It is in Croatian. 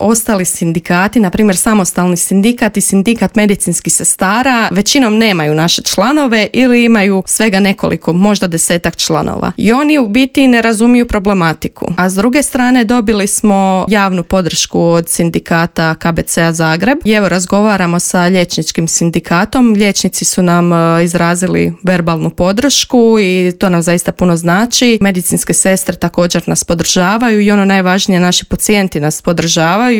ostali sindikati, na primjer samostalni sindikat i sindikat medicinskih sestara, većinom nemaju naše članove ili imaju svega nekoliko, možda 10-ak članova. I oni u biti ne razumiju problematiku. A s druge strane dobili smo javnu podršku od sindikata KBC-a Zagreb i evo razgovaramo sa liječničkim sindikatom. Liječnici su nam izrazili verbalnu podršku i to nam zaista puno znači. Medicinske sestre također nas podržavaju i ono najvažnije, naši pacijenti nas podržavaju